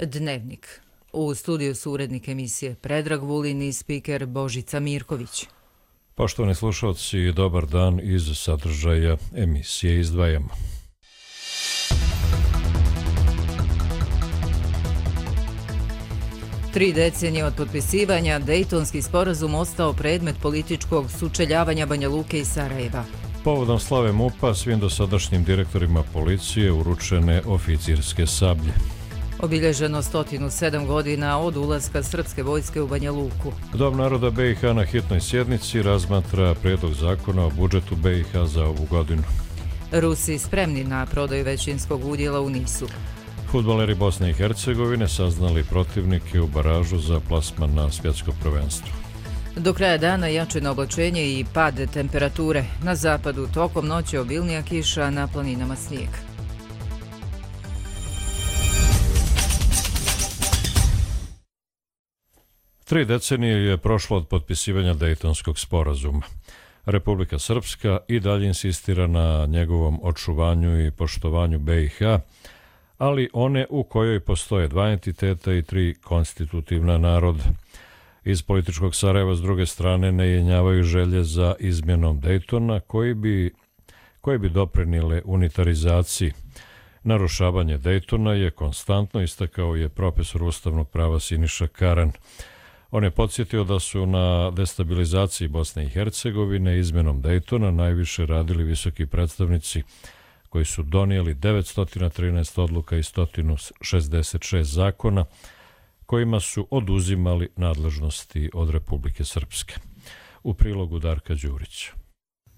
Dnevnik. U studiju su urednik emisije Predrag Vulin i spiker Božica Mirković. Poštovani slušalci, dobar dan. Iz sadržaja emisije izdvajamo. Tri decenije od potpisivanja, Dejtonski sporazum ostao predmet političkog sučeljavanja Banja Luke i Sarajeva. Povodom slave MUP-a svim dosadašnjim direktorima policije uručene oficirske sablje. Obilježeno 107 godina od ulaska srpske vojske u Banja Luku. Dom naroda BiH na hitnoj sjednici razmatra prijedlog zakona o budžetu BiH za ovu godinu. Rusi spremni na prodaju većinskog udjela u NIS-u. Fudbaleri Bosne i Hercegovine saznali protivnike u baražu za plasman na svjetsko prvenstvo. Do kraja dana jačeno oblačenje i pad temperature. Na zapadu tokom noći obilnija kiša, na planinama snijeg. Tri decenije je prošlo od potpisivanja Dejtonskog sporazuma. Republika Srpska i dalje insistira na njegovom očuvanju i poštovanju BiH, ali one u kojoj postoje dva entiteta i tri konstitutivna naroda. Iz političkog Sarajeva s druge strane ne jenjavaju želje za izmjenom Dejtona koje bi doprinijele unitarizaciji. Narušavanje Dejtona je konstantno, istakao je profesor ustavnog prava Siniša Karan. On je podsjetio da su na destabilizaciji Bosne i Hercegovine izmjenom Dejtona najviše radili visoki predstavnici koji su donijeli 913 odluka i 166 zakona kojima su oduzimali nadležnosti od Republike Srpske. U prilogu Darka Đurića.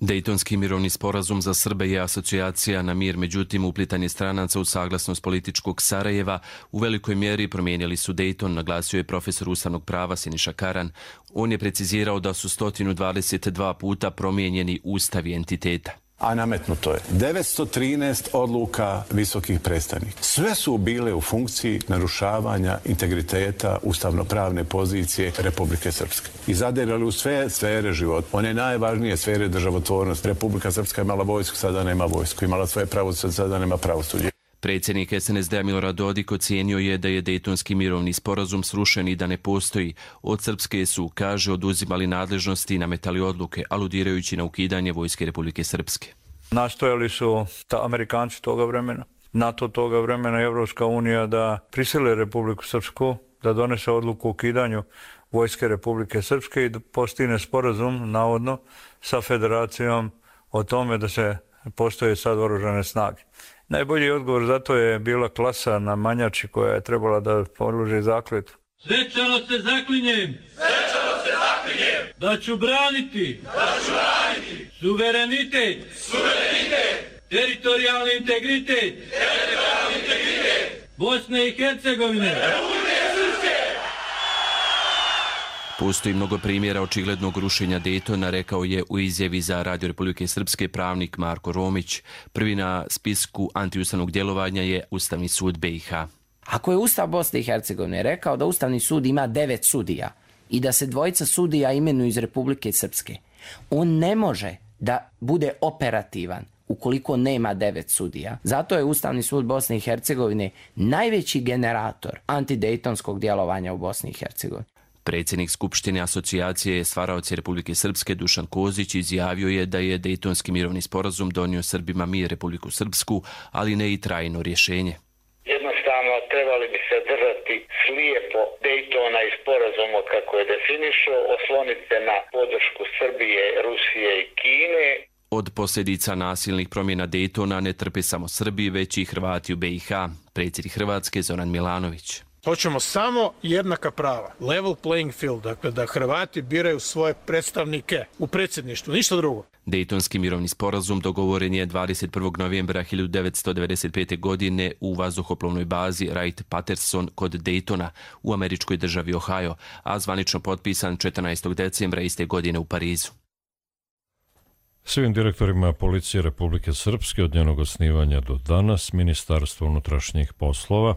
Dejtonski mirovni sporazum za Srbe je asocijacija na mir, međutim uplitanje stranaca u saglasnost političkog Sarajeva u velikoj mjeri promijenili su Dejton, naglasio je profesor ustavnog prava Siniša Karan. On je precizirao da su 122 puta promijenjeni ustavi entiteta. A nametnuto je 913 odluka visokih predstavnika. Sve su bile u funkciji narušavanja integriteta ustavno-pravne pozicije Republike Srpske. I zadirali u sve sfere života. One najvažnije sfere državotvornosti. Republika Srpska je imala vojsku, sada nema vojsku. Imala svoje pravosuđe, sada nema pravosuđe. Predsjednik SNSD-a Milorad Dodik ocijenio je da je Dejtonski mirovni sporazum srušen i da ne postoji. Od Srpske su, kaže, oduzimali nadležnosti i nametali odluke, aludirajući na ukidanje vojske Republike Srpske. Nastojali su Amerikanci toga vremena, NATO toga vremena i Evropska unija da prisile Republiku Srpsku, da donese odluku o ukidanju vojske Republike Srpske i da postigne sporazum, navodno, sa federacijom o tome da se postoje sad oružane snage. Najbolji odgovor za to je bila klasa na Manjači koja je trebala da položi zakletvu. Svečano se zaklinjem da ću braniti suverenitet, teritorijalni integritet Bosne i Hercegovine. Postoji mnogo primjera očiglednog rušenja Dejtona, rekao je u izjavi za Radio Republike Srpske pravnik Marko Romić. Prvi na spisku antiustavnog djelovanja je Ustavni sud BiH. Ako je Ustav Bosne i Hercegovine rekao da Ustavni sud ima 9 sudija i da se 2 sudija imenuju iz Republike Srpske, on ne može da bude operativan ukoliko nema 9 sudija. Zato je Ustavni sud Bosne i Hercegovine najveći generator antidejtonskog djelovanja u Bosni i Hercegovini. Predsjednik Skupštine asocijacije Stvaraoci Republike Srpske Dušan Kozić izjavio je da je Dejtonski mirovni sporazum donio Srbima mir Republiku Srpsku, ali ne i trajno rješenje. Jednostavno trebali bi se držati slijepo Dejtona i sporazuma kako je definišao, osloniti se na podršku Srbije, Rusije i Kine. Od posljedica nasilnih promjena Dejtona ne trpe samo Srbi, već i Hrvati u BiH. Predsjednik Hrvatske Zoran Milanović. Hoćemo samo jednaka prava, level playing field, dakle da Hrvati biraju svoje predstavnike u predsjedništvu, ništa drugo. Dejtonski mirovni sporazum dogovoren je 21. novembra 1995. godine u vazduhoplovnoj bazi Wright-Patterson kod Dejtona u američkoj državi Ohio, a zvanično potpisan 14. decembra iste godine u Parizu. Svim direktorima policije Republike Srpske od njenog osnivanja do danas Ministarstvo unutrašnjih poslova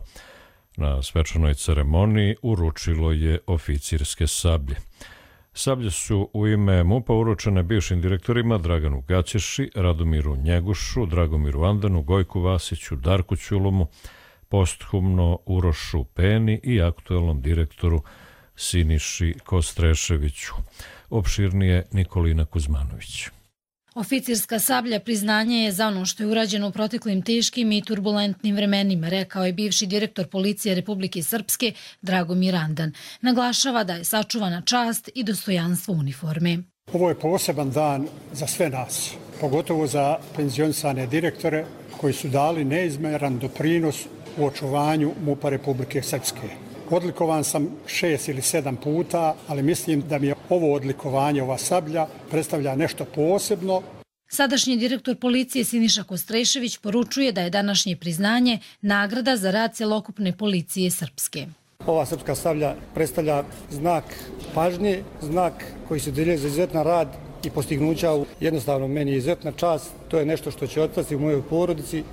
na svečanoj ceremoniji uručilo je oficirske sablje. Sablje su u ime MUP-a uručene bivšim direktorima Draganu Gaćeši, Radomiru Njegušu, Dragomiru Andanu, Gojku Vasiću, Darku Ćulomu, posthumno Urošu Peni i aktuelnom direktoru Siniši Kostreševiću. Opširnije Nikolina Kuzmanović. Oficirska sablja priznanje je za ono što je urađeno u proteklim teškim i turbulentnim vremenima, rekao je bivši direktor policije Republike Srpske Dragomir Andan. Naglašava da je sačuvana čast i dostojanstvo uniforme. Ovo je poseban dan za sve nas, pogotovo za penzionisane direktore koji su dali neizmjeran doprinos u očuvanju MUP-a Republike Srpske. Odlikovan sam 6 ili 7 puta, ali mislim da mi je ovo odlikovanje, ova sablja, predstavlja nešto posebno. Sadašnji direktor policije Siniša Kostrešević poručuje da je današnje priznanje nagrada za rad celokupne policije Srpske. Ova srpska sablja predstavlja znak pažnje, znak koji se djeluje za izuzetan rad i postignuća. Jednostavno, meni je izuzetna čast, to je nešto što će ostati u mojoj porodici.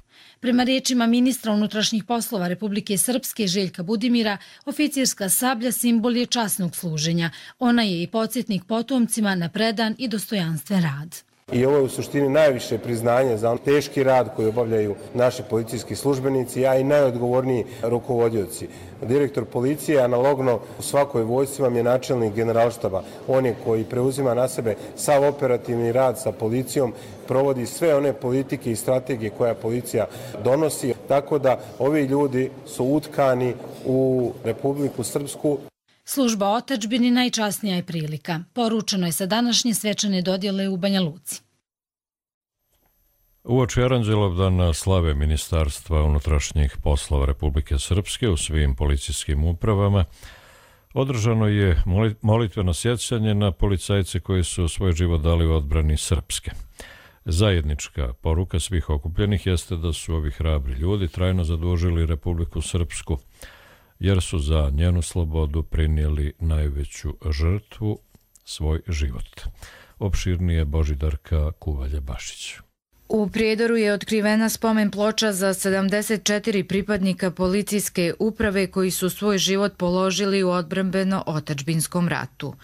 Prema riječima ministra unutrašnjih poslova Republike Srpske Željka Budimira, oficirska sablja simbol je časnog služenja. Ona je i podsjetnik potomcima na predan i dostojanstven rad. I ovo je u suštini najviše priznanje za teški rad koji obavljaju naši policijski službenici, a i najodgovorniji rukovodioci. Direktor policije, analogno u svakoj vojsci vam je načelnik generalštaba. On je koji preuzima na sebe sav operativni rad sa policijom, provodi sve one politike i strategije koja policija donosi. Tako da ovi ljudi su utkani u Republiku Srpsku. Služba otadžbini najčasnija je prilika. Poručeno je sa današnje svečane dodjele u Banja Luci. Uoči Aranđelovdana slave Ministarstva unutrašnjih poslova Republike Srpske u svim policijskim upravama održano je molitveno sjećanje na policajce koji su svoj život dali u odbrani Srpske. Zajednička poruka svih okupljenih jeste da su ovi hrabri ljudi trajno zadužili Republiku Srpsku, jer su za njenu slobodu prinijeli najveću žrtvu, svoj život. Opširnije Božidarka Kuvalja-Bašić. U Prijedoru je otkrivena spomen ploča za 74 pripadnika policijske uprave koji su svoj život položili u odbrambeno-otadžbinskom ratu.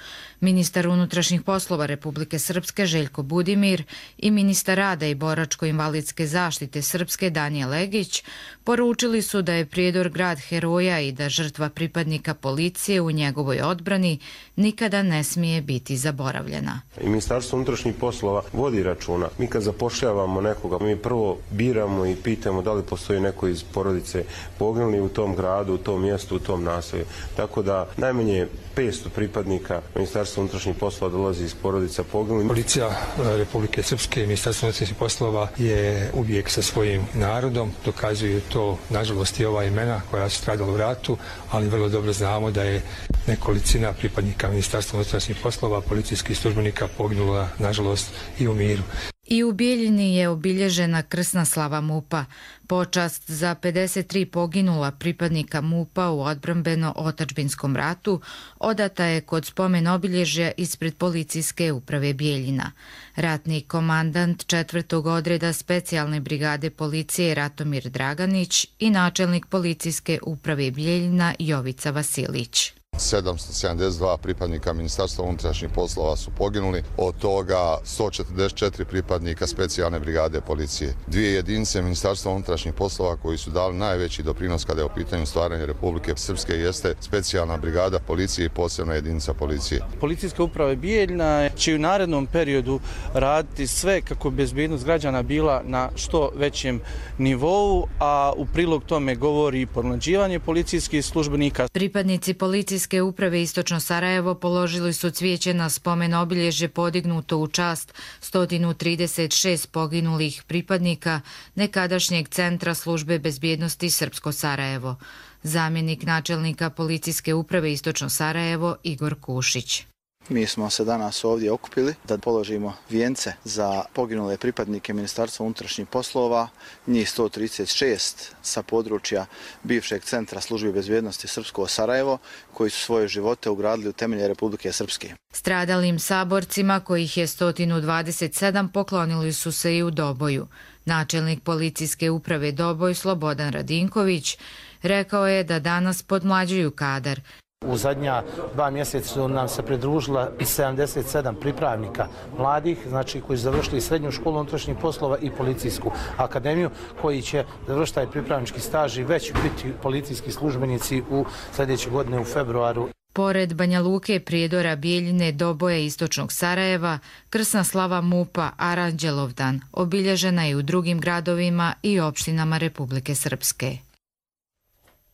Ministar unutrašnjih poslova Republike Srpske Željko Budimir i ministar rada i boračko-invalidske zaštite Srpske Danijel Legić poručili su da je Prijedor grad heroja i da žrtva pripadnika policije u njegovoj odbrani nikada ne smije biti zaboravljena. I Ministarstvo unutrašnjih poslova vodi računa. Mi kad zapošljavamo nekoga, mi prvo biramo i pitamo da li postoji neko iz porodice poginuli u tom gradu, u tom mjestu, u tom naselju. Tako da najmanje 500 pripadnika Ministarstva unutrašnjih poslova dolazi iz porodica poginulih. Policija Republike Srpske i Ministarstvo unutrašnjih poslova je uvijek sa svojim narodom. Dokazuju to, nažalost, i ova imena koja su stradala u ratu, ali vrlo dobro znamo da je nekolicina pripadnika Ministarstva unutrašnjih poslova, policijskih službenika poginula, nažalost, i u miru. I u Bijeljini je obilježena krsna slava MUP-a. Počast za 53 poginula pripadnika MUP-a u odbrambeno-otadžbinskom ratu odata je kod spomen obilježja ispred policijske uprave Bijeljina. Ratni komandant 4. odreda specijalne brigade policije Ratomir Draganić i načelnik policijske uprave Bijeljina Jovica Vasilić. 772 pripadnika Ministarstva unutrašnjih poslova su poginuli, od toga 144 pripadnika specijalne brigade policije. 2 jedinice Ministarstva unutrašnjih poslova koji su dali najveći doprinos kada je u pitanju stvaranja Republike Srpske jeste specijalna brigada policije i posebna jedinica policije. Policijska uprava Bijeljina će u narednom periodu raditi sve kako bi bezbednost građana bila na što većem nivou, a u prilog tome govori i pomlađivanje policijskih službenika. Pripadnici policijske uprave Istočno Sarajevo položili su cvijeće na spomen obilježje podignuto u čast 136 poginulih pripadnika nekadašnjeg centra službe bezbjednosti Srpsko Sarajevo. Zamjenik načelnika policijske uprave Istočno Sarajevo Igor Kušić. Mi smo se danas ovdje okupili da položimo vijence za poginule pripadnike Ministarstva unutrašnjih poslova, njih 136 sa područja bivšeg centra službe bezbjednosti Srpsko Sarajevo, koji su svoje živote ugradili u temelje Republike Srpske. Stradalim saborcima, kojih je 127, poklonili su se i u Doboju. Načelnik policijske uprave Doboj Slobodan Radinković rekao je da danas podmlađuju kadar. U zadnja 2 mjeseca nam se pridružila 77 pripravnika mladih, znači koji su završili srednju školu unutrašnjih poslova i policijsku akademiju, koji će završiti taj pripravnički staž i već biti policijski službenici u sljedeće godine u februaru. Pored Banja Luke, Prijedora, Bijeljine, Doboje, Istočnog Sarajeva, krsna slava MUP-a Aranđelovdan obilježena je u drugim gradovima i opštinama Republike Srpske.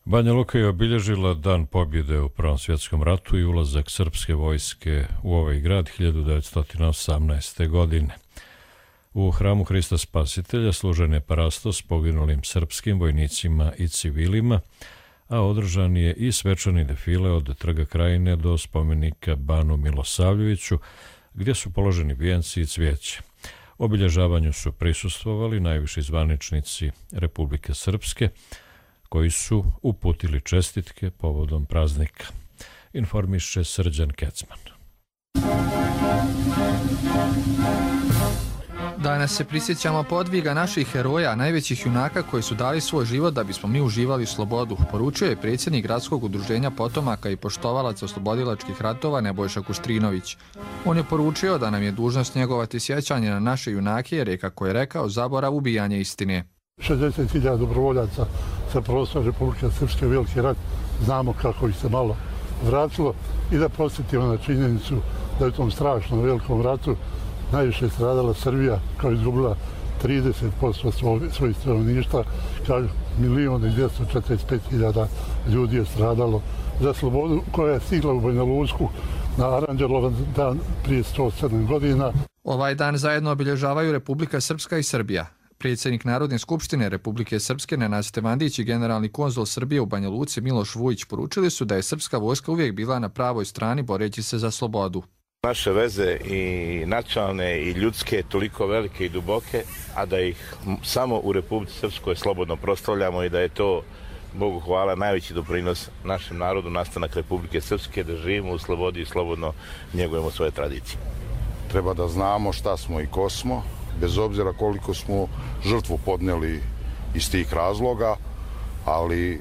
Banja Luka je obilježila Dan pobjede u Prvom svjetskom ratu i ulazak srpske vojske u ovaj grad 1918. godine. U hramu Hrista Spasitelja služen je parastos poginulim srpskim vojnicima i civilima, a održan je i svečani defile od Trga Krajine do spomenika Banu Milosavljeviću, gdje su položeni vijenci i cvijeće. Obilježavanju su prisustvovali najviši zvaničnici Republike Srpske, koji su uputili čestitke povodom praznika. Informiše Srđan Kecman. Danas se prisjećamo podviga naših heroja, najvećih junaka koji su dali svoj život da bismo mi uživali slobodu, poručio je predsjednik Gradskog udruženja potomaka i poštovalaca oslobodilačkih ratova Nebojša Kuštrinović. On je poručio da nam je dužnost njegovati sjećanje na naše junake jer je, kako je rekao, zaborav ubijanje istine. 60.000 dobrovoljaca sa prostora Republike Srpske, veliki rat, znamo kako ih se malo vratilo i da posjetimo na činjenicu da je u tom strašnom velikom ratu najviše stradala Srbija, kao izgubila 30% svojih stanovništva, kao 1.245.000 ljudi je stradalo za slobodu koja je stigla u Banja Luku na Aranđelovan dan prije 107 godina. Ovaj dan zajedno obilježavaju Republika Srpska i Srbija. Predsjednik Narodne skupštine Republike Srpske Nenad Stevandić i generalni konzul Srbije u Banja Luci Miloš Vujić poručili su da je srpska vojska uvijek bila na pravoj strani boreći se za slobodu. Naše veze i nacionalne i ljudske toliko velike i duboke, a da ih samo u Republici Srpskoj slobodno proslavljamo i da je to, Bogu hvala, najveći doprinos našem narodu, nastanak Republike Srpske, da živimo u slobodi i slobodno njegujemo svoje tradicije. Treba da znamo šta smo i ko smo, bez obzira koliko smo žrtvu podneli iz tih razloga, ali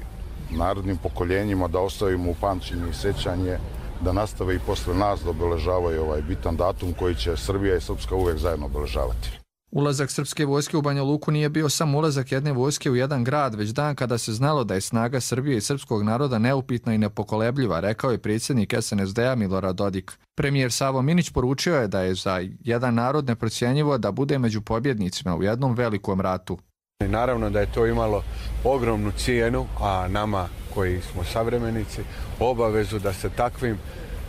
narodnim pokoljenjima da ostavimo u pamćenju i sećanje da nastave i posle nas da obeležavaju ovaj bitan datum koji će Srbija i Srpska uvek zajedno obeležavati. Ulazak srpske vojske u Banja Luku nije bio samo ulazak jedne vojske u jedan grad, već dan kada se znalo da je snaga Srbije i srpskog naroda neupitna i nepokolebljiva, rekao je predsjednik SNSD-a Milorad Dodik. Premijer Savo Minić poručio je da je za jedan narod neprocjenjivo da bude među pobjednicima u jednom velikom ratu. Naravno da je to imalo ogromnu cijenu, a nama koji smo savremenici obavezu da se takvim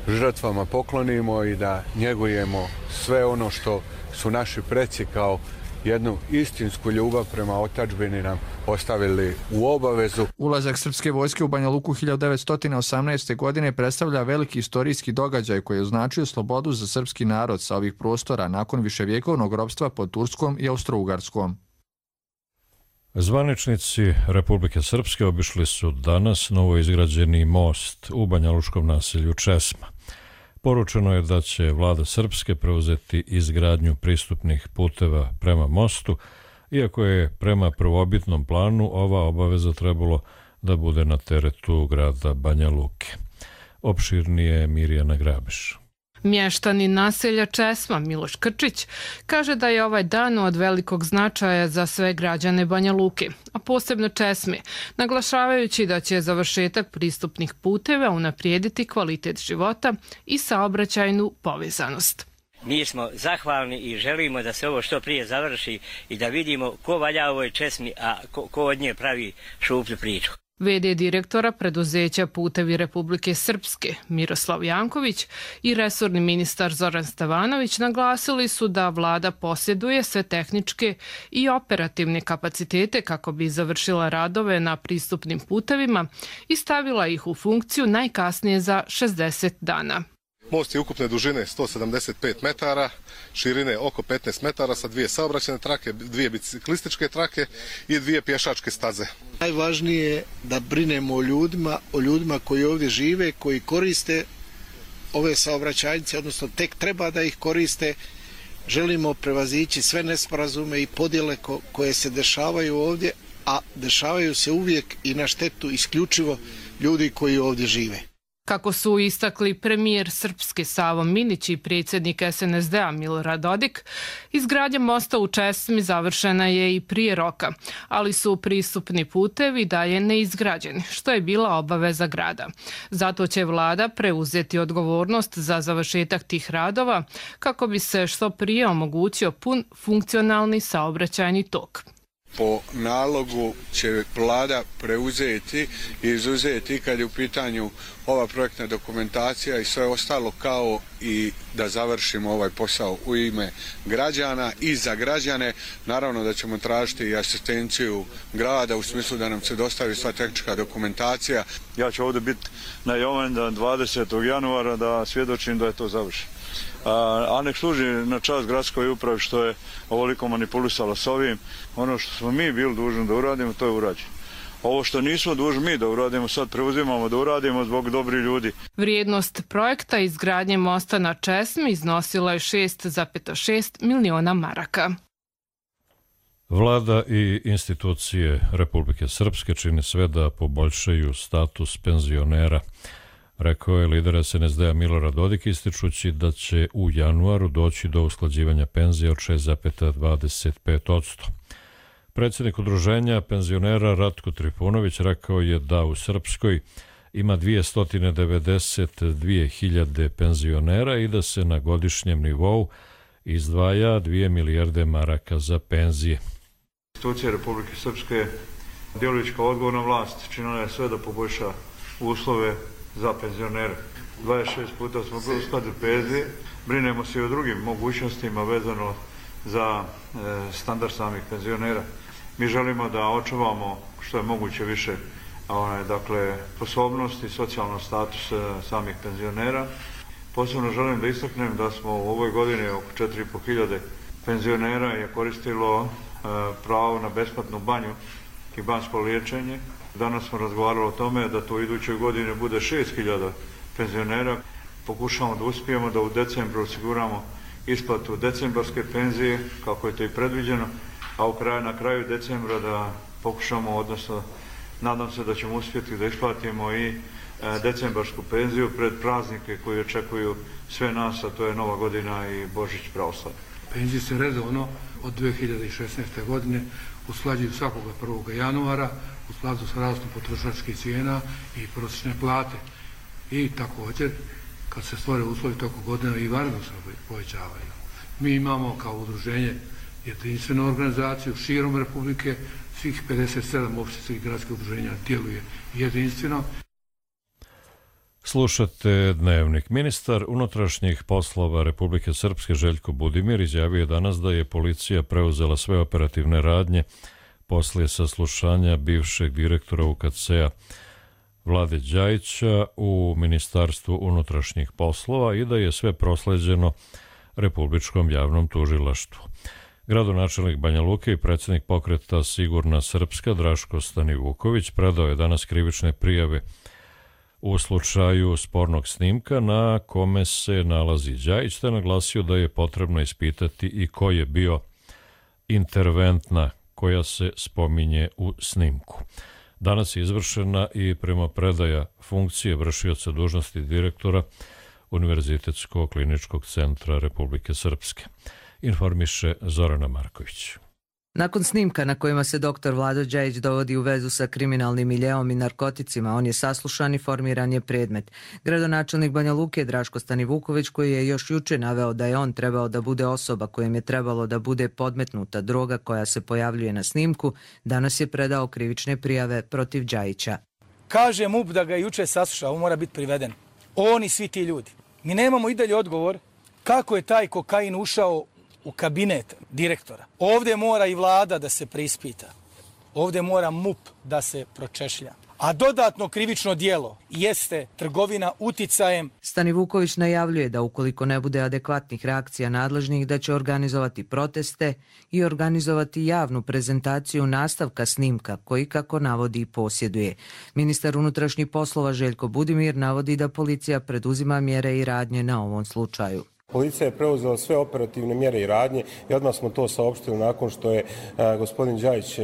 žrtvama poklonimo i da njegujemo sve ono što su naši preci kao jednu istinsku ljubav prema otadžbini nam ostavili u obavezu. Ulazak srpske vojske u Banja Luku 1918. godine predstavlja veliki istorijski događaj koji je označio slobodu za srpski narod sa ovih prostora nakon viševjekovnog ropstva pod Turskom i Austro-Ugarskom. Zvaničnici Republike Srpske obišli su danas novoizgrađeni most u banjalučkom naselju Česma. Poručeno je da će vlada Srpske preuzeti izgradnju pristupnih puteva prema mostu, iako je prema prvobitnom planu ova obaveza trebalo da bude na teretu grada Banja Luke. Opširnije Mirjana Grabiš. Mještanin naselja Česma Miloš Krčić kaže da je ovaj dan od velikog značaja za sve građane Banja Luke, a posebno Česme, naglašavajući da će završetak pristupnih puteva unaprijediti kvalitet života i saobraćajnu povezanost. Mi smo zahvalni i želimo da se ovo što prije završi i da vidimo ko valja ovoj Česmi, a ko od nje pravi šuplju priču. V.d. direktora preduzeća Putevi Republike Srpske Miroslav Janković i resorni ministar Zoran Stevanović naglasili su da vlada posjeduje sve tehničke i operativne kapacitete kako bi završila radove na pristupnim putevima i stavila ih u funkciju najkasnije za 60 dana. Most je ukupne dužine 175 metara, širine oko 15 metara sa 2 saobraćajne trake, 2 biciklističke trake i 2 pješačke staze. Najvažnije je da brinemo o ljudima koji ovdje žive, koji koriste ove saobraćajnice, odnosno tek treba da ih koriste. Želimo prevazići sve nesporazume i podjele koje se dešavaju ovdje, a dešavaju se uvijek i na štetu isključivo ljudi koji ovdje žive. Kako su istakli premijer Srpske Savo Minić i predsjednik SNSD-a Milorad Dodik, izgradnja mosta u Česmi završena je i prije roka, ali su pristupni putevi dalje neizgrađeni, što je bila obaveza grada. Zato će vlada preuzeti odgovornost za završetak tih radova kako bi se što prije omogućio pun funkcionalni saobraćajni tok. Po nalogu će vlada preuzeti i izuzeti kad je u pitanju ova projektna dokumentacija i sve ostalo, kao i da završimo ovaj posao u ime građana i za građane. Naravno da ćemo tražiti i asistenciju grada u smislu da nam se dostavi sva tehnička dokumentacija. Ja ću ovdje biti na Jovendan 20. januara da svjedočim da je to završeno. A nek služi na čast gradskoj upravi što je ovoliko manipulisala s ovim. Ono što smo mi bili dužni da uradimo, to je urađeno. Ovo što nismo dužni mi da uradimo, sad preuzimamo da uradimo zbog dobrih ljudi. Vrijednost projekta izgradnje mosta na Česmi iznosila je 6,6 miliona maraka. Vlada i institucije Republike Srpske čine sve da poboljšaju status penzionera, rekao je lider SNSD-a Milorad Dodik, ističući da će u januaru doći do usklađivanja penzija od 6,25%. Predsjednik udruženja penzionera Ratko Trifunović rekao je da u Srpskoj ima 292.000 penzionera i da se na godišnjem nivou izdvaja 2 milijarde maraka za penzije. Institucije Republike Srpske djelujući kao odgovorna vlast činila je sve da poboljša uslove za penzionere. 26 puta smo uskladili penzije, brinemo se i o drugim mogućnostima vezano za standard samih penzionera. Mi želimo da očuvamo što je moguće više sposobnost i socijalno status samih penzionera. Posebno želim da istaknem da smo u ovoj godini oko 4.500 penzionera je koristilo pravo na besplatnu banju i banjsko liječenje. Danas smo razgovarali o tome da to u idućoj godini bude 6.000 penzionera. Pokušamo da uspijemo da u decembru osiguramo isplatu decembarske penzije, kako je to i predviđeno, a na kraju decembra da pokušamo, odnosno nadam se da ćemo uspjeti da isplatimo i decembarsku penziju pred praznike koji očekuju sve nas, a to je Nova godina i Božić pravoslavlja. Penzije se redovno od 2016. godine usklađuju svakoga 1. januara u skladu sa rastom potrošačkih cijena i prosječne plate. I također, kad se stvore uslovi tokom godine, i vanredno se povećavaju. Mi imamo kao udruženje jedinstvenu organizaciju širom Republike, svih 57 općinskih gradskih udruženja djeluje jedinstveno. Slušate Dnevnik. Ministar unutrašnjih poslova Republike Srpske Željko Budimir izjavio je danas da je policija preuzela sve operativne radnje poslije saslušanja bivšeg direktora UKC-a Vlade Đajića u Ministarstvu unutrašnjih poslova i da je sve prosleđeno Republičkom javnom tužilaštvu. Gradonačelnik Banja Luke i predsjednik pokreta Sigurna Srpska Draško Stanivuković predao je danas krivične prijave u slučaju spornog snimka na kome se nalazi Đajić, te naglasio da je potrebno ispitati i ko je bio interventna koja se spominje u snimku. Danas je izvršena i primopredaja funkcije vršioca dužnosti direktora Univerzitetskog kliničkog centra Republike Srpske. Informiše Zorana Marković. Nakon snimka na kojima se dr. Vlado Đajić dovodi u vezu sa kriminalnim miljeom i narkoticima, on je saslušan i formiran je predmet. Gradonačelnik Banja Luke Draško Stanivuković, koji je još juče naveo da je on trebao da bude osoba kojem je trebalo da bude podmetnuta droga koja se pojavljuje na snimku, danas je predao krivične prijave protiv Đajića. Kaže MUP da ga je juče saslušao, on mora biti priveden. On i svi ti ljudi. Mi nemamo i dalje odgovor kako je taj kokain ušao u kabinet direktora. Ovdje mora i vlada da se preispita. Ovdje mora MUP da se pročešlja. A dodatno krivično djelo jeste trgovina uticajem. Stanivuković najavljuje da ukoliko ne bude adekvatnih reakcija nadležnih, da će organizovati proteste i organizovati javnu prezentaciju nastavka snimka koji, kako navodi, posjeduje. Ministar unutrašnjih poslova Željko Budimir navodi da policija preduzima mjere i radnje na ovom slučaju. Policija je preuzela sve operativne mjere i radnje i odmah smo to saopštili nakon što je gospodin Đajić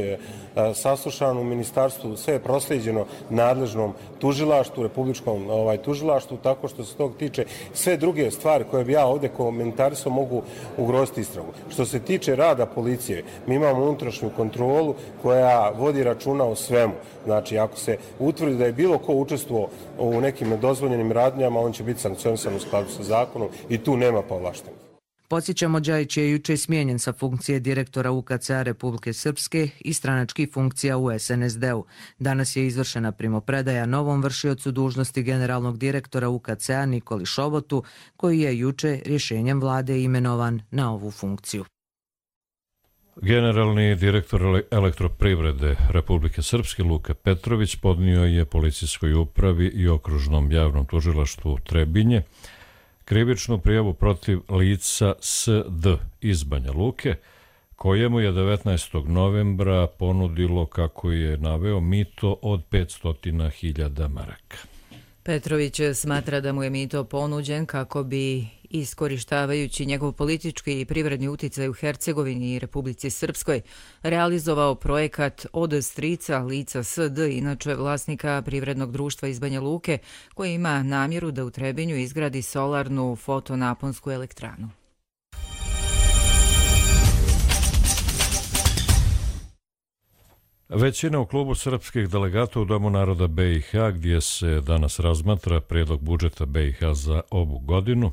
saslušan u ministarstvu. Sve je proslijeđeno nadležnom tužilaštvu, republičkom tužilaštvu, tako što se tog tiče sve druge stvari koje bi ja ovdje komentarisao mogu ugroziti istragu. Što se tiče rada policije, mi imamo unutrašnju kontrolu koja vodi računa o svemu. Znači, ako se utvrdi da je bilo ko učestvovao u nekim nedozvoljenim radnjama, on će biti sankcionisan u skladu sa zakonom i tu nema povlaštenih. Podsjećamo, Đajić je juče smijenjen sa funkcije direktora UKC-a Republike Srpske i stranačkih funkcija u SNSD-u. Danas je izvršena primopredaja novom vršiocu dužnosti generalnog direktora UKC-a Nikoli Šobotu, koji je juče rješenjem vlade imenovan na ovu funkciju. Generalni direktor Elektroprivrede Republike Srpske Luka Petrović podnio je policijskoj upravi i okružnom javnom tužilaštvu Trebinje krivičnu prijavu protiv lica SD iz Banja Luke, kojemu je 19. novembra ponudilo, kako je naveo, mito od 500.000 maraka. Petrović smatra da mu je mito ponuđen kako bi, iskorištavajući njegov politički i privredni uticaj u Hercegovini i Republici Srpskoj, realizovao projekat od strica lica SD, inače vlasnika privrednog društva iz Banja Luke, koji ima namjeru da u Trebinju izgradi solarnu fotonaponsku elektranu. Većina u klubu srpskih delegata u Domu naroda BiH, gdje se danas razmatra prijedlog budžeta BiH za ovu godinu,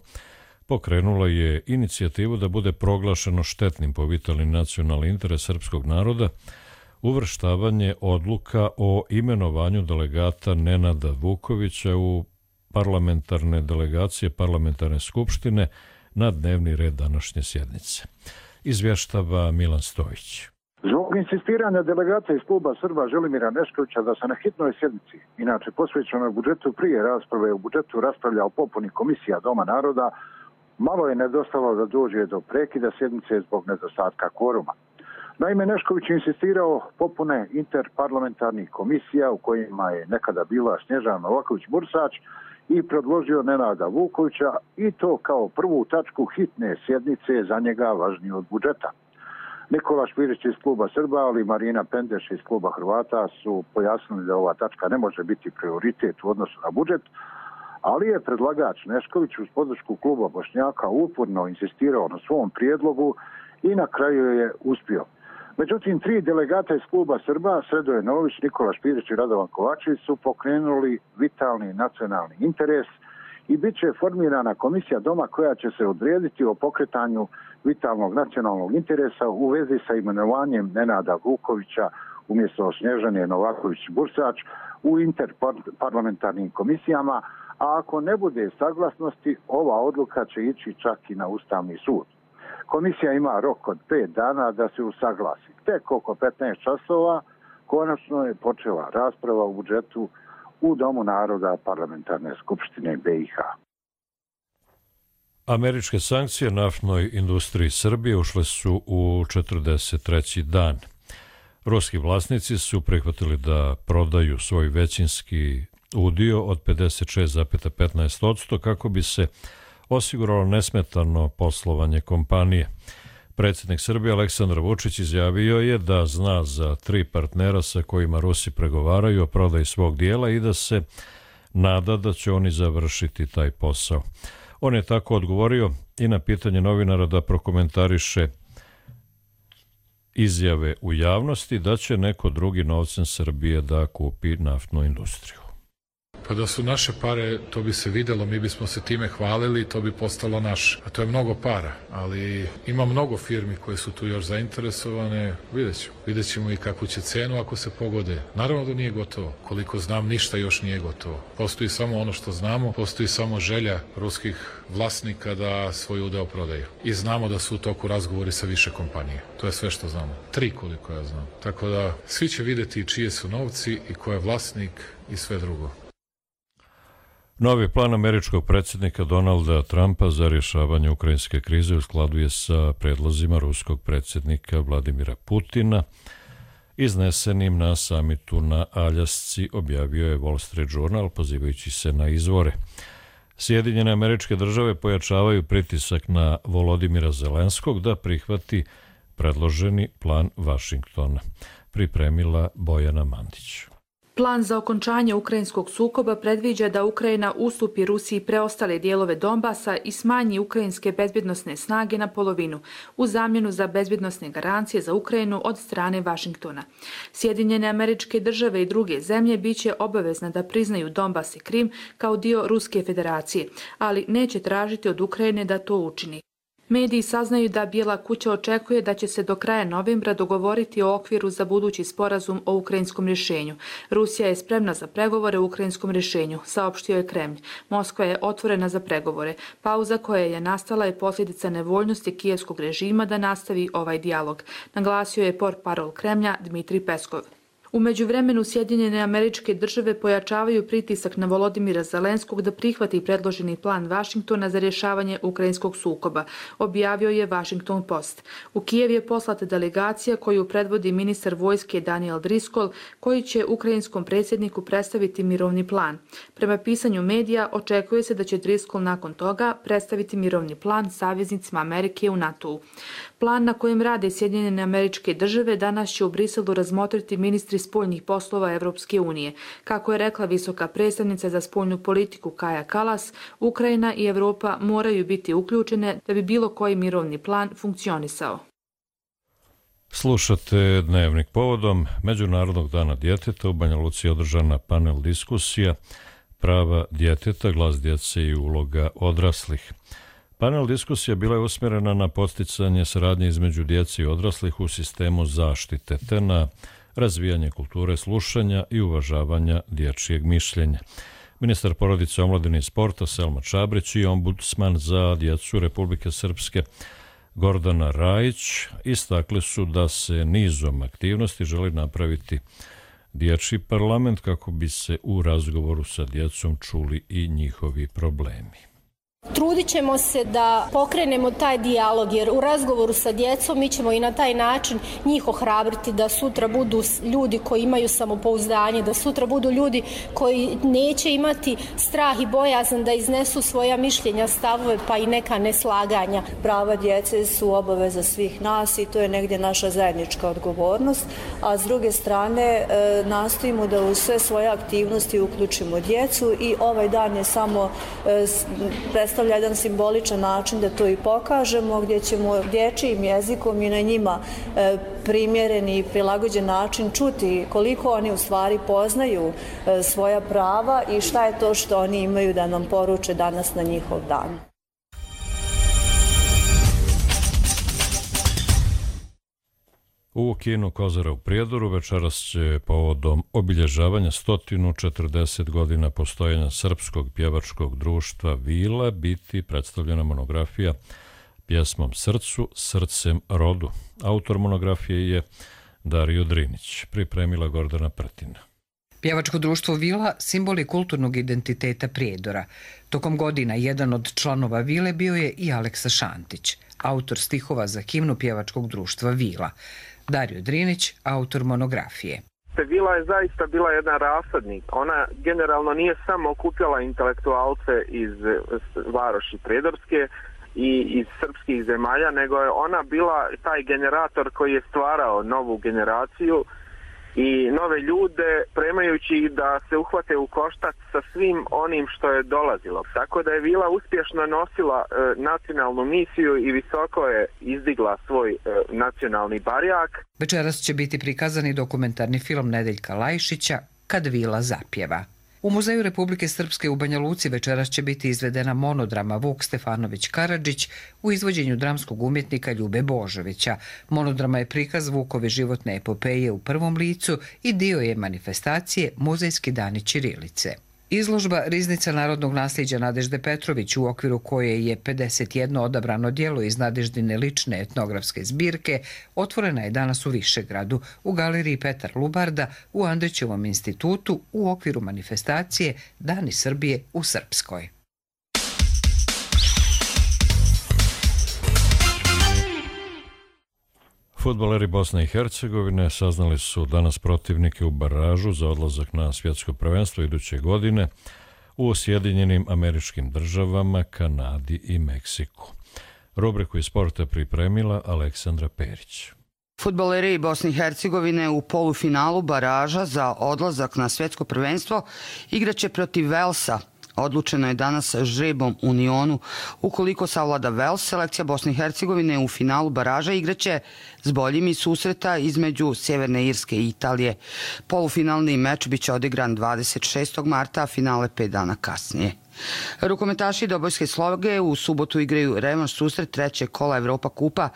pokrenula je inicijativu da bude proglašeno štetnim po vitalni nacionalni interes srpskog naroda uvrštavanje odluka o imenovanju delegata Nenada Vukovića u parlamentarne delegacije parlamentarne skupštine na dnevni red današnje sjednice. Izvještava Milan Stojić. Zbog insistiranja delegata iz kluba Srba Želimira Neškovića da se na hitnoj sjednici, inače posvećenoj budžetu prije rasprave u budžetu, raspravlja o popuni komisija Doma naroda, malo je nedostalo da dođe do prekida sjednice zbog nedostatka kvoruma. Naime, Nešković je insistirao popune interparlamentarnih komisija u kojima je nekada bila Snježana Novaković-Bursač i predložio Nenada Vukovića, i to kao prvu tačku hitne sjednice, za njega važnije od budžeta. Nikola Špirić iz kluba Srba, ali Marina Pendeš iz kluba Hrvata su pojasnili da ova tačka ne može biti prioritet u odnosu na budžet, ali je predlagač Nešković uz podršku kluba Bošnjaka uporno insistirao na svom prijedlogu i na kraju je uspio. Međutim, 3 delegata iz kluba Srba, Sredoje Nović, Nikola Špirić i Radovan Kovačević, su pokrenuli vitalni nacionalni interes i bit će formirana komisija Doma koja će se odrediti o pokretanju vitalnog nacionalnog interesa u vezi sa imenovanjem Nenada Vukovića umjesto Snježane Novaković-Bursač u interparlamentarnim komisijama, a ako ne bude saglasnosti, ova odluka će ići čak i na Ustavni sud. Komisija ima rok od 5 dana da se usaglasi. Tek oko 15 časova konačno je počela rasprava u budžetu u Domu naroda parlamentarne skupštine BiH. Američke sankcije naftnoj industriji Srbije ušle su u 43. dan. Ruski vlasnici su prihvatili da prodaju svoj većinski udio od 56,15% kako bi se osiguralo nesmetano poslovanje kompanije. Predsjednik Srbije Aleksandar Vučić izjavio je da zna za 3 partnera sa kojima Rusi pregovaraju o prodaji svog dijela i da se nada da će oni završiti taj posao. On je tako odgovorio i na pitanje novinara da prokomentariše izjave u javnosti da će neko drugi novcem Srbije da kupi naftnu industriju. Pa da su naše pare, to bi se videlo, mi bismo se time hvalili, to bi postalo naše. A to je mnogo para, ali ima mnogo firmi koje su tu još zainteresovane, vidjet ćemo i kakvu će cenu ako se pogode. Naravno da nije gotovo, koliko znam ništa još nije gotovo. Postoji samo ono što znamo, postoji samo želja ruskih vlasnika da svoj udeo prodaju. I znamo da su u toku razgovori sa više kompanije. To je sve što znamo. 3 koliko ja znam. Tako da svi će vidjeti čije su novci i ko je vlasnik i sve drugo. Novi plan američkog predsjednika Donalda Trumpa za rješavanje ukrajinske krize u skladu je sa predlozima ruskog predsjednika Vladimira Putina, iznesenim na samitu na Aljasci, objavio je Wall Street Journal pozivajući se na izvore. Sjedinjene Američke Države pojačavaju pritisak na Volodimira Zelenskog da prihvati predloženi plan Vašingtona. Pripremila Bojana Mandić. Plan za okončanje ukrajinskog sukoba predviđa da Ukrajina ustupi Rusiji preostale dijelove Donbasa i smanji ukrajinske bezbjednosne snage na polovinu u zamjenu za bezbjednosne garancije za Ukrajinu od strane Vašingtona. Sjedinjene Američke Države i druge zemlje biće obavezne da priznaju Donbas i Krim kao dio Ruske federacije, ali neće tražiti od Ukrajine da to učini. Mediji saznaju da Bijela kuća očekuje da će se do kraja novembra dogovoriti o okviru za budući sporazum o ukrajinskom rješenju. Rusija je spremna za pregovore o ukrajinskom rješenju, saopštio je Kremlj. Moskva je otvorena za pregovore. Pauza koja je nastala je posljedica nevoljnosti kijevskog režima da nastavi ovaj dijalog, naglasio je portparol Kremlja Dmitrij Peskov. U međuvremenu Sjedinjene Američke Države pojačavaju pritisak na Volodimira Zelenskog da prihvati predloženi plan Vašingtona za rješavanje ukrajinskog sukoba, objavio je Washington Post. U Kijev je poslata delegacija koju predvodi ministar vojske Daniel Driscoll, koji će ukrajinskom predsjedniku predstaviti mirovni plan. Prema pisanju medija, očekuje se da će Driscoll nakon toga predstaviti mirovni plan saveznicima Amerike u NATO-u. Plan na kojem rade Sjedinjene Američke Države danas će u Briselu razmotriti ministri spoljnih poslova Evropske unije. Kako je rekla visoka predstavnica za spoljnu politiku Kaja Kallas, Ukrajina i Evropa moraju biti uključene da bi bilo koji mirovni plan funkcionisao. Slušate Dnevnik povodom Međunarodnog dana djeteta. U Banja Luci je održana panel diskusija Prava djeteta, glas djece i uloga odraslih. Panel diskusija bila je usmjerena na podsticanje saradnje između djece i odraslih u sistemu zaštite te na razvijanje kulture slušanja i uvažavanja dječjeg mišljenja. Ministar porodice, omladine i sporta Selma Čabrić i ombudsman za djecu Republike Srpske Gordana Rajić istakli su da se nizom aktivnosti želi napraviti dječji parlament kako bi se u razgovoru sa djecom čuli i njihovi problemi. Trudit ćemo se da pokrenemo taj dijalog, jer u razgovoru sa djecom mi ćemo i na taj način njih ohrabriti da sutra budu ljudi koji imaju samopouzdanje, da sutra budu ljudi koji neće imati strah i bojazan da iznesu svoja mišljenja, stavove pa i neka neslaganja. Prava djece su obaveza svih nas i to je negdje naša zajednička odgovornost, a s druge strane nastojimo da u sve svoje aktivnosti uključimo djecu i ovaj dan je samo predstavlja jedan simboličan način da to i pokažemo, gdje ćemo dječjim jezikom i na njima primjereni i prilagođen način čuti koliko oni u stvari poznaju svoja prava i šta je to što oni imaju da nam poruče danas na njihov dan. U kinu Kozara u Prijedoru večeras će povodom obilježavanja 140 godina postojanja Srpskog pjevačkog društva Vila biti predstavljena monografija pjesmom Srcu, srcem rodu. Autor monografije je Dario Drinić, pripremila Gordana Pretina. Pjevačko društvo Vila simbol je kulturnog identiteta Prijedora. Tokom godina jedan od članova Vile bio je i Aleksa Šantić, autor stihova za himnu pjevačkog društva Vila. Dario Drinić, autor monografije. Vila je zaista bila jedan rasadnik. Ona generalno nije samo okupljala intelektualce iz varoši Prijedorske i iz srpskih zemalja, nego je ona bila taj generator koji je stvarao novu generaciju i nove ljude, premajući ih da se uhvate u koštac sa svim onim što je dolazilo. Tako da je Vila uspješno nosila nacionalnu misiju i visoko je izdigla svoj nacionalni barjak. Večeras će biti prikazani dokumentarni film Nedeljka Lajšića Kad Vila zapjeva. U Muzeju Republike Srpske u Banja Luci večeras će biti izvedena monodrama Vuk Stefanović Karadžić u izvođenju dramskog umjetnika Ljube Božovića. Monodrama je prikaz Vukove životne epopeje u prvom licu i dio je manifestacije Muzejski dani ćirilice. Izložba Riznica narodnog nasljeđa Nadežde Petrović, u okviru koje je 51 odabrano djelo iz Nadeždine lične etnografske zbirke, otvorena je danas u Višegradu, u galeriji Petar Lubarda, u Andrićevom institutu, u okviru manifestacije Dani Srbije u Srpskoj. Fudbaleri Bosne i Hercegovine saznali su danas protivnike u baražu za odlazak na svjetsko prvenstvo iduće godine u Sjedinjenim Američkim Državama, Kanadi i Meksiku. Rubriku iz sporta pripremila Aleksandra Perić. Fudbaleri Bosne i Hercegovine u polufinalu baraža za odlazak na svjetsko prvenstvo igraće protiv Velsa. Odlučeno je danas žrebom u Nionu. Ukoliko savlada Vels, selekcija Bosne i Hercegovine u finalu baraža igraće s boljim iz susreta između Sjeverne Irske i Italije. Polufinalni meč biće odigran 26. marta, a finale 5 dana kasnije. Rukometaši Dobojske Sloge u subotu igraju revanš susret trećeg kola Evropa kupa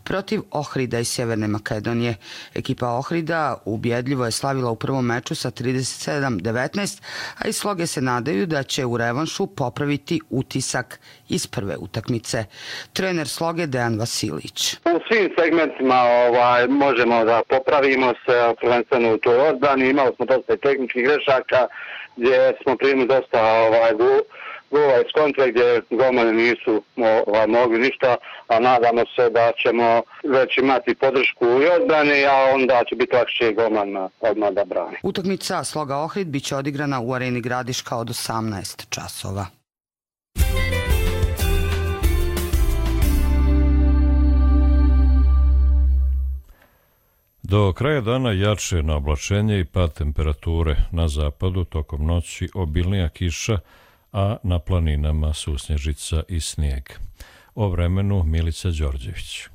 protiv Ohrida iz Sjeverne Makedonije. Ekipa Ohrida ubjedljivo je slavila u prvom meču sa 37-19, a iz Sloge se nadaju da će u revanšu popraviti utisak iz prve utakmice. Trener Sloge Dejan Vasilić. U svim segmentima možemo da popravimo se, prvenstveno u toj odbrani. Imali smo dosta tehničkih grešaka gdje smo primili dosta golova iz kontra gdje golmani nisu mogli ništa, a nadamo se da ćemo već imati podršku i odbrani, a onda će biti lakše golman odmah da brani. Utakmica Sloga Ohrid biće odigrana u areni Gradiška od 18 časova. Do kraja dana jače na oblačenje i pad temperature. Na zapadu tokom noći obilnija kiša, a na planinama susnježica i snijeg. O vremenu Milica Đorđević.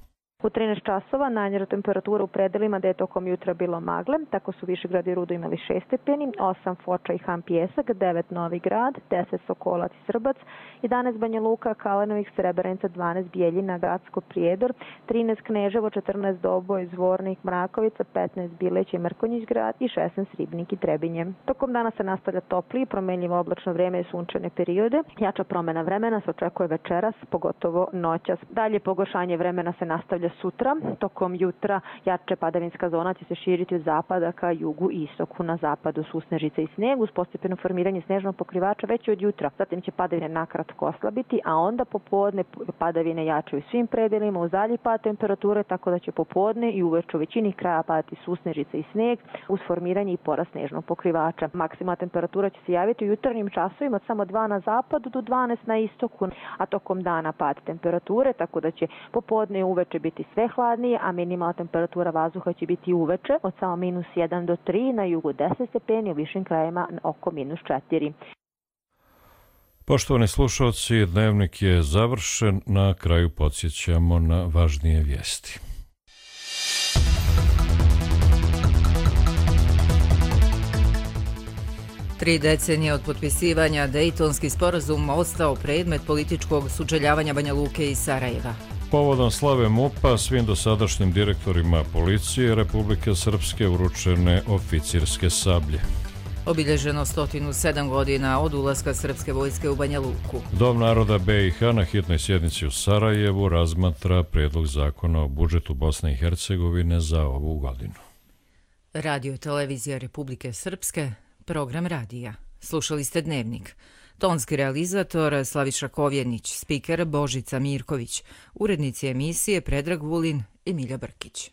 U 13 časova najniža temperatura u predelima da je tokom jutra bilo magle, tako su Višegrad i Rudo imali 6 stepeni, 8 Foča i Han Pijesak, 9 Novi Grad, 10 Sokolac i Srbac, 11 Banja Luka, Kalenovik, Srebrenica, 12 Bijeljina, Gacko, Prijedor, 13 Kneževo, 14 Doboj, Zvornik, Mrakovica, 15 Bileć i Mrkonjić grad i 16 Ribnik i Trebinje. Tokom dana se nastavlja toplije, promenljivo oblačno vrijeme i sunčane periode. Jača promjena vremena se očekuje večeras, pogotovo noćas. Dalje pogoršanje vremena se nastavlja sutra. Tokom jutra jače padavinska zona će se širiti od zapada ka jugu i istoku. Na zapadu susnežice i snijeg uz postepeno formiranje snežnog pokrivača već od jutra. Zatim će padavine nakratko oslabiti, a onda popodne padavine jačaju svim predelima uz dalji pad temperature, tako da će popodne i uveče u većini kraja padati susnežice i snijeg uz formiranje i porast snežnog pokrivača. Maksimalna temperatura će se javiti u jutarnjim časovima od samo 2 na zapadu do 12 na istoku, a tokom dana pad temperature, tako da će popodne i uveče biti sve hladnije, a minimalna temperatura vazduha će biti uveče od samo -1 do 3, na jugu 10 stepeni, u višim krajima oko -4. Poštovani slušalci, dnevnik je završen. Na kraju podsjećamo na važnije vijesti. Tri decenije od potpisivanja Dejtonski sporazum ostao predmet političkog sučeljavanja Banja Luke i Sarajeva. Povodom slave MUP-a svim dosadašnjim direktorima policije Republike Srpske uručene oficirske sablje. Obilježeno 107 godina od ulaska srpske vojske u Banja Luku. Dom naroda BiH na hitnoj sjednici u Sarajevu razmatra prijedlog zakona o budžetu Bosne i Hercegovine za ovu godinu. Radio i televizija Republike Srpske, program radija. Slušali ste Dnevnik. Tonski realizator Slaviša Kovjenić, spiker Božica Mirković, urednici emisije Predrag Vulin i Milja Brkić.